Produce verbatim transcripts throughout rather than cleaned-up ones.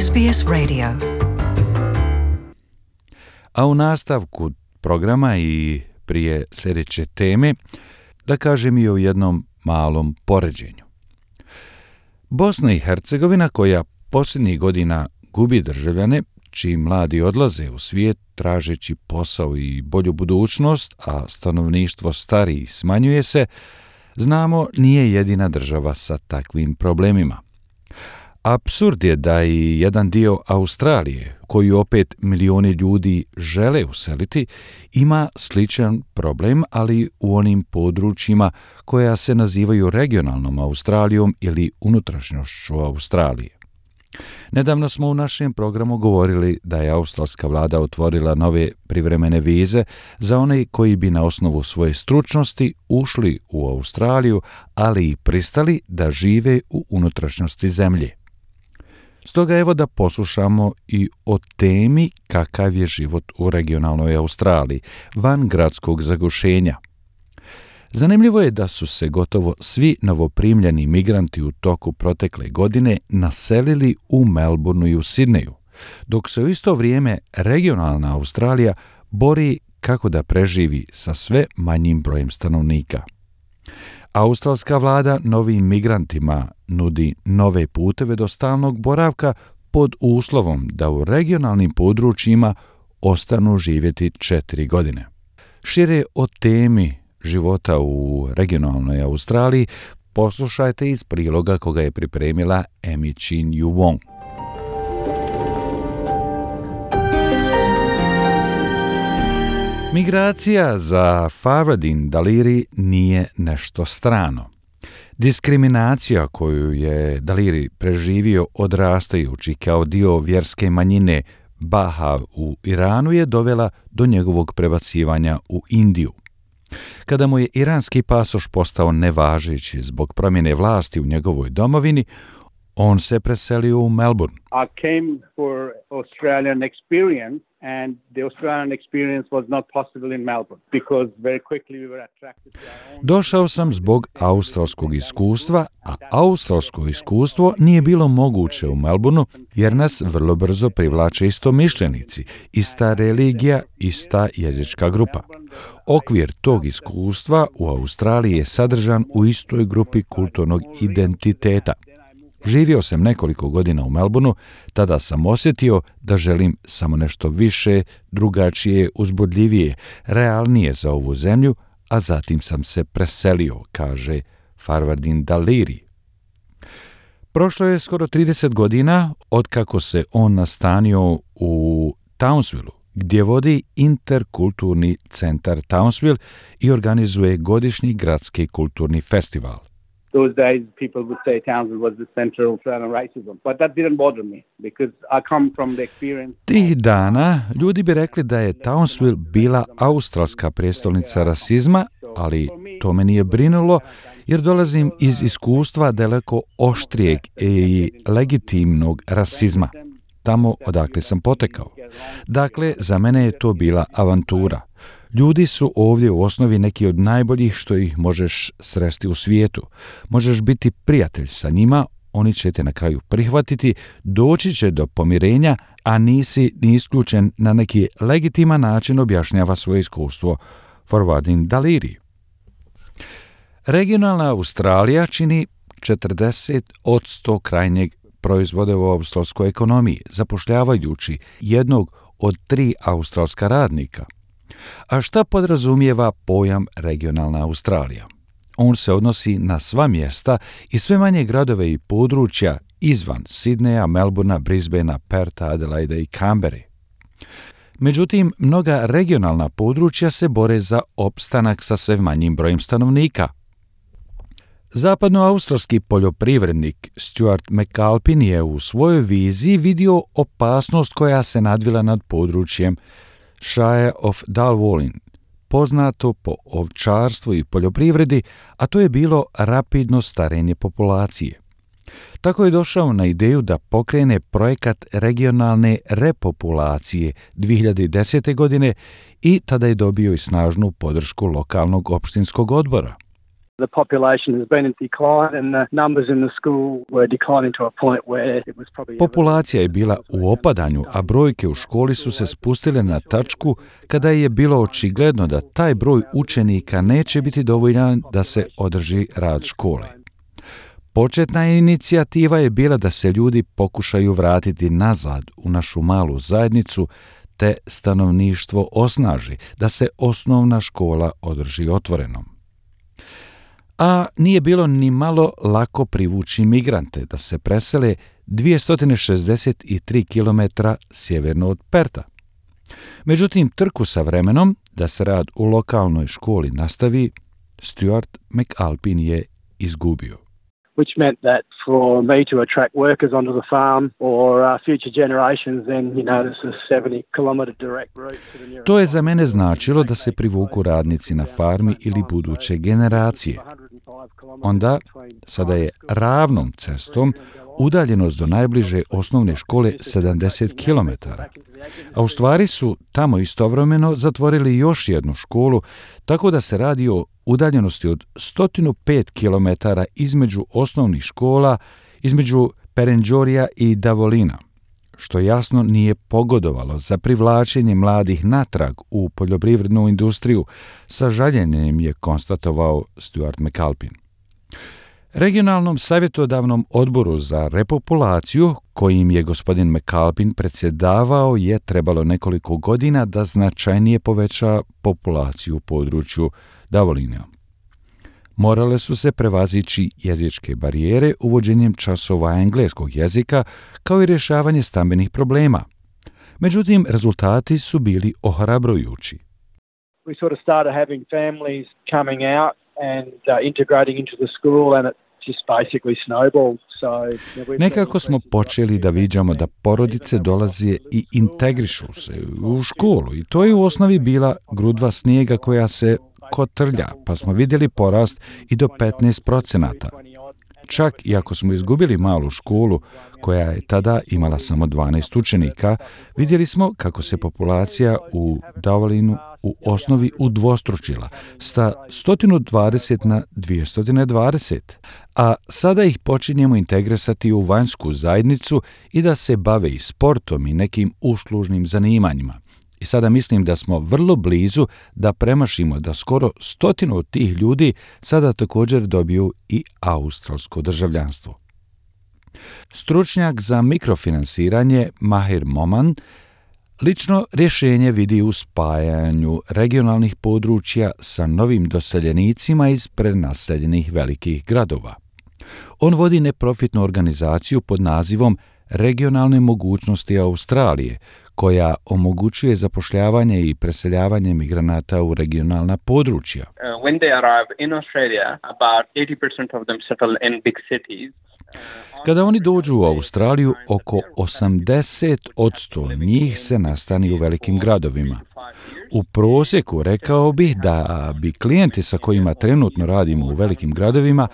S B S Radio. A u nastavku programa i prije sljedeće teme, da kažem i o jednom malom poređenju. Bosna i Hercegovina, koja posljednjih godina gubi državljane, čiji mladi odlaze u svijet tražeći posao i bolju budućnost, a stanovništvo stari i smanjuje se, znamo nije jedina država sa takvim problemima. Apsurd je da i jedan dio Australije, koju opet milioni ljudi žele useliti, ima sličan problem, ali u onim područjima koja se nazivaju regionalnom Australijom ili unutrašnjošću Australije. Nedavno smo u našem programu govorili da je australska vlada otvorila nove privremene vize za one koji bi na osnovu svoje stručnosti ušli u Australiju, ali i pristali da žive u unutrašnjosti zemlje. Stoga evo da poslušamo i o temi kakav je život u regionalnoj Australiji, van gradskog zagušenja. Zanimljivo je da su se gotovo svi novoprimljeni migranti u toku protekle godine naselili u Melbourneu i u Sidneju, dok se u isto vrijeme regionalna Australija bori kako da preživi sa sve manjim brojem stanovnika. Australska vlada novim migrantima nudi nove puteve do stalnog boravka pod uslovom da u regionalnim područjima ostanu živjeti četiri godine. Šire o temi života u regionalnoj Australiji poslušajte iz priloga koga je pripremila Amy Chin Yu Wong. Migracija za Farwadin Daliri nije nešto strano. Diskriminacija koju je Daliri preživio odrastajući kao dio vjerske manjine Bahav u Iranu je dovela do njegovog prebacivanja u Indiju. Kada mu je iranski pasoš postao nevažeći zbog promjene vlasti u njegovoj domovini, on se preselio u Melbourne. I came for Australian experience and the Australian experience was not possible in Melbourne because very quickly we were attracted to our own... Došao sam zbog australskog iskustva, a australsko iskustvo nije bilo moguće u Melbourneu jer nas vrlo brzo privlače istomišljenici, ista religija, ista jezička grupa. Okvir tog iskustva u Australiji je sadržan u istoj grupi kulturnog identiteta. Živio sam nekoliko godina u Melbourneu, tada sam osjetio da želim samo nešto više, drugačije, uzbudljivije, realnije za ovu zemlju, a zatim sam se preselio, kaže Farwadin Daliri. Prošlo je skoro trideset godina otkako se on nastanio u Townsvilleu, gdje vodi interkulturni centar Townsville i organizuje godišnji gradski kulturni festival. Those days people would say Townsville was the center of Australian racism, but that didn't bother me because I come from the experience. Tih dana ljudi bi rekli da je Townsville bila australska prijestolnica rasizma, ali to me nije brinulo jer dolazim iz iskustva daleko oštrijeg i legitimnog rasizma, tamo odakle sam potekao. Dakle, za mene je to bila avantura. Ljudi su ovdje u osnovi neki od najboljih što ih možeš sresti u svijetu. Možeš biti prijatelj sa njima, oni će te na kraju prihvatiti, doći će do pomirenja, a nisi ni isključen na neki legitiman način, objašnjava svoje iskustvo Farwadin Daliri. Regionalna Australija čini četrdeset posto krajnjeg proizvoda u australskoj ekonomiji, zapošljavajući jednog od tri australska radnika. A šta podrazumijeva pojam regionalna Australija? On se odnosi na sva mjesta i sve manje gradove i područja izvan Sidneja, Melbournea, Brisbanea, Pertha, Adelaida i Canberre. Međutim, mnoga regionalna područja se bore za opstanak sa sve manjim brojem stanovnika. Zapadnoaustralski poljoprivrednik Stuart McAlpin je u svojoj viziji vidio opasnost koja se nadvila nad područjem Shire of Dalwallin, poznato po ovčarstvu i poljoprivredi, a to je bilo rapidno starenje populacije. Tako je došao na ideju da pokrene projekat regionalne repopulacije dvije hiljade desete. godine i tada je dobio i snažnu podršku lokalnog opštinskog odbora. The population has been in decline and the numbers in the school were declining to a point where it was probably... Populacija je bila u opadanju, a brojke u školi su se spustile na tačku kada je bilo očigledno da taj broj učenika neće biti dovoljan da se održi rad škole. Početna inicijativa je bila da se ljudi pokušaju vratiti nazad u našu malu zajednicu te stanovništvo osnaži, da se osnovna škola održi otvorenom. A nije bilo ni malo lako privući migrante da se presele dvjesto šezdeset tri kilometra sjeverno od Perta. Međutim, trku sa vremenom da se rad u lokalnoj školi nastavi, Stuart McAlpin je izgubio. Which meant that for me to attract workers onto the farm or uh, future generations, then, you know, this is seventy kilometer direct route to the nearest... To je za mene značilo da se privuku radnici na farmi ili buduće generacije. Onda, sada je ravnom cestom udaljenost do najbliže osnovne škole sedamdeset kilometara. A u stvari su tamo istovremeno zatvorili još jednu školu, tako da se radi o udaljenosti od sto pet kilometara između osnovnih škola, između Perenjorija i Davolina, što jasno nije pogodovalo za privlačenje mladih natrag u poljoprivrednu industriju, sa žaljenjem je konstatovao Stuart McAlpin. Regionalnom savjetodavnom odboru za repopulaciju, kojim je gospodin McAlpin predsjedavao, je trebalo nekoliko godina da značajnije poveća populaciju u području Davolina. Morale su se prevazići jezičke barijere uvođenjem časova engleskog jezika, kao i rješavanje stambenih problema. Međutim, rezultati su bili ohrabrujući. We sort of started having families coming out and uh, integrating into the school, and it just basically snowballed. So, you know, Nekako smo počeli da viđamo da porodice dolaze i integrišu se u školu i to je u osnovi bila grudva snijega koja se kotrlja, pa smo vidjeli porast i do petnaest procenata. Čak i ako smo izgubili malu školu, koja je tada imala samo dvanaest učenika, vidjeli smo kako se populacija u Davolinu u osnovi udvostručila, sa sto dvadeset na dvjesto dvadeset, a sada ih počinjemo integrisati u vanjsku zajednicu i da se bave i sportom i nekim uslužnim zanimanjima. I sada mislim da smo vrlo blizu da premašimo da skoro stotinu od tih ljudi sada također dobiju i australsko državljanstvo. Stručnjak za mikrofinansiranje Mahir Moman lično rješenje vidi u spajanju regionalnih područja sa novim doseljenicima iz prenaseljenih velikih gradova. On vodi neprofitnu organizaciju pod nazivom Regionalne mogućnosti Australije, koja omogućuje zapošljavanje i preseljavanje migranata u regionalna područja. Uh, when they arrive in Australia, about eighty percent of them settle in big cities. Kada oni dođu u Australiju, oko osamdeset posto njih se nastani u velikim gradovima. U prosjeku rekao bih da bi klijenti sa kojima trenutno radimo u velikim gradovima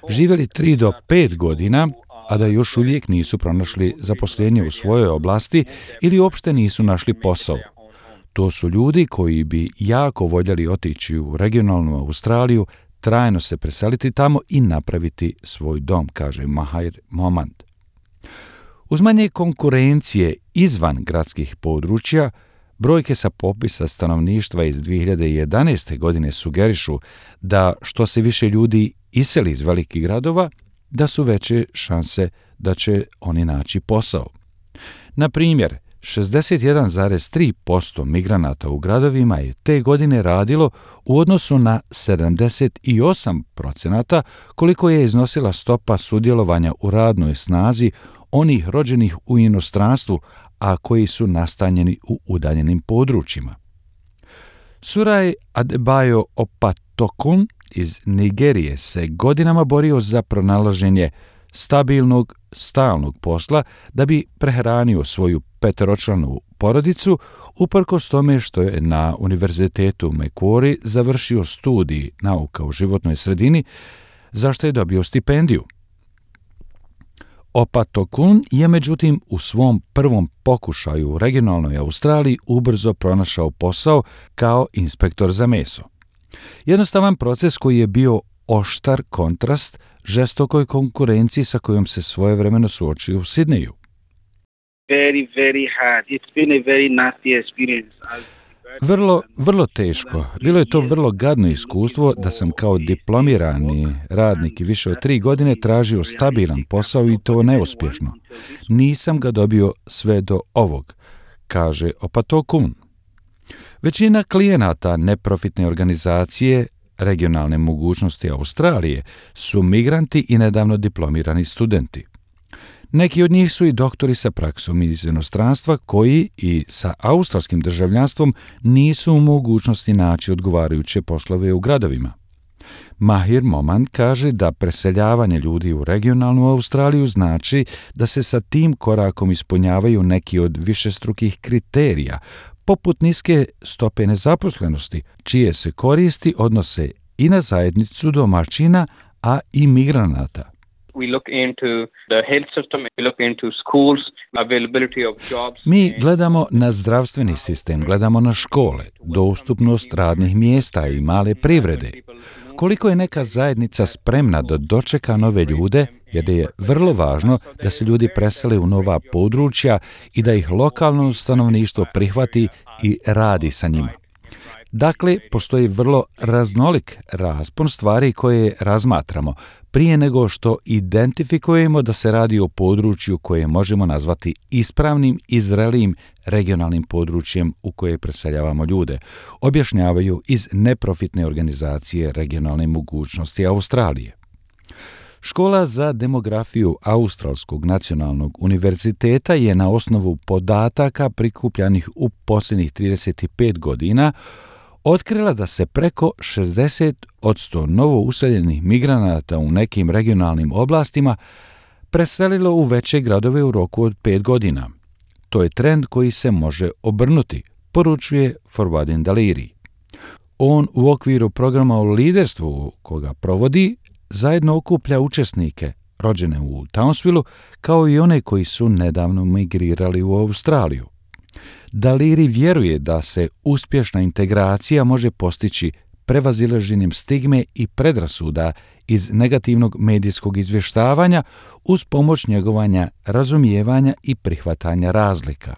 živjeli tri do pet godina, a da još uvijek nisu pronašli zaposlenje u svojoj oblasti ili uopšte nisu našli posao. To su ljudi koji bi jako voljeli otići u regionalnu Australiju, trajno se preseliti tamo i napraviti svoj dom, kaže Mahir Moman. Uz manje konkurencije izvan gradskih područja, brojke sa popisa stanovništva iz dvije hiljade jedanaeste. godine sugerišu da što se više ljudi iseli iz velikih gradova, da su veće šanse da će oni naći posao. Na primjer, šezdeset jedan zarez tri posto migranata u gradovima je te godine radilo u odnosu na sedamdeset osam procenata koliko je iznosila stopa sudjelovanja u radnoj snazi onih rođenih u inostranstvu, a koji su nastanjeni u udaljenim područjima. Suraj Adebayo Opatokun iz Nigerije se godinama borio za pronalaženje stabilnog, stalnog posla da bi prehranio svoju peteročlanu porodicu, uprkos tome što je na Univerzitetu Macquarie završio studij nauka u životnoj sredini, za što je dobio stipendiju. Opatokun je međutim u svom prvom pokušaju u regionalnoj Australiji ubrzo pronašao posao kao inspektor za meso. Jednostavan proces koji je bio oštar kontrast žestokoj konkurenciji sa kojom se svojevremeno suočio u Sidneju. Very, very hard. It's been a very nasty experience. Vrlo, vrlo teško. Bilo je to vrlo gadno iskustvo da sam kao diplomirani radnik i više od tri godine tražio stabilan posao i to neuspješno. Nisam ga dobio sve do ovog, kaže Opatokun. Većina klijenata neprofitne organizacije Regionalne mogućnosti Australije su migranti i nedavno diplomirani studenti. Neki od njih su i doktori sa praksom iz inostranstva koji i sa australskim državljanstvom nisu u mogućnosti naći odgovarajuće poslove u gradovima. Mahir Moman kaže da preseljavanje ljudi u regionalnu Australiju znači da se sa tim korakom ispunjavaju neki od višestrukih kriterija, poput niske stope nezaposlenosti, čije se koristi odnose i na zajednicu domaćina, a i migranata. We look into the health system, we look into schools, availability of jobs. Mi gledamo na zdravstveni sistem, gledamo na škole, dostupnost radnih mjesta i male privrede. Koliko je neka zajednica spremna da dočeka nove ljude, jer je vrlo važno da se ljudi presele u nova područja i da ih lokalno stanovništvo prihvati i radi sa njima. Dakle, postoji vrlo raznolik raspon stvari koje razmatramo, prije nego što identifikujemo da se radi o području koje možemo nazvati ispravnim i zrelijim regionalnim područjem u koje preseljavamo ljude, objašnjavaju iz neprofitne organizacije Regionalne mogućnosti Australije. Škola za demografiju Australskog nacionalnog univerziteta je na osnovu podataka prikupljanih u posljednjih trideset pet godina otkrila da se preko šezdeset posto novo useljenih migranata u nekim regionalnim oblastima preselilo u veće gradove u roku od pet godina. To je trend koji se može obrnuti, poručuje Farwadin Daliri. On u okviru programa o liderstvu koga provodi zajedno okuplja učesnike rođene u Townsvilleu kao i one koji su nedavno migrirali u Australiju. Daliri vjeruje da se uspješna integracija može postići prevazilaženjem stigme i predrasuda iz negativnog medijskog izvještavanja uz pomoć njegovanja razumijevanja i prihvatanja razlika.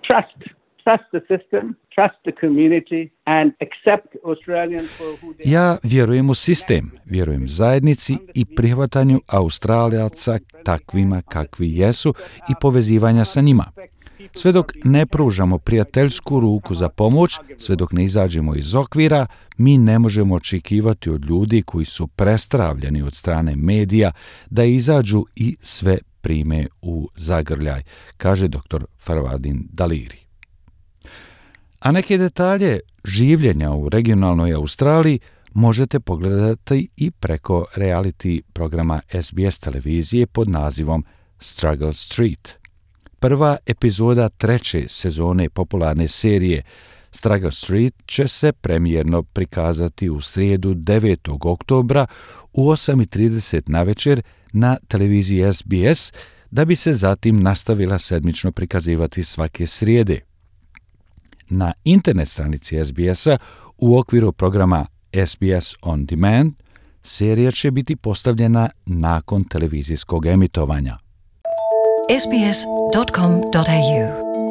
Trust. Trust the system, trust the community and accept Australians for who they are. Ja vjerujem u sistem, vjerujem zajednici i prihvatanju Australijaca takvima kakvi jesu i povezivanja sa njima. Sve dok ne pružamo prijateljsku ruku za pomoć, sve dok ne izađemo iz okvira, mi ne možemo očekivati od ljudi koji su prestravljeni od strane medija da izađu i sve prime u zagrljaj, kaže doktor Farwadin Daliri. A neke detalje življenja u regionalnoj Australiji možete pogledati i preko reality programa S B S televizije pod nazivom Struggle Street. Prva epizoda treće sezone popularne serije Struggle Street će se premijerno prikazati u srijedu devetog oktobra u osam i trideset navečer na televiziji S B S, da bi se zatim nastavila sedmično prikazivati svake srijede. Na internet stranici S B S-a u okviru programa S B S On Demand serija će biti postavljena nakon televizijskog emitovanja. s b s dot com dot a u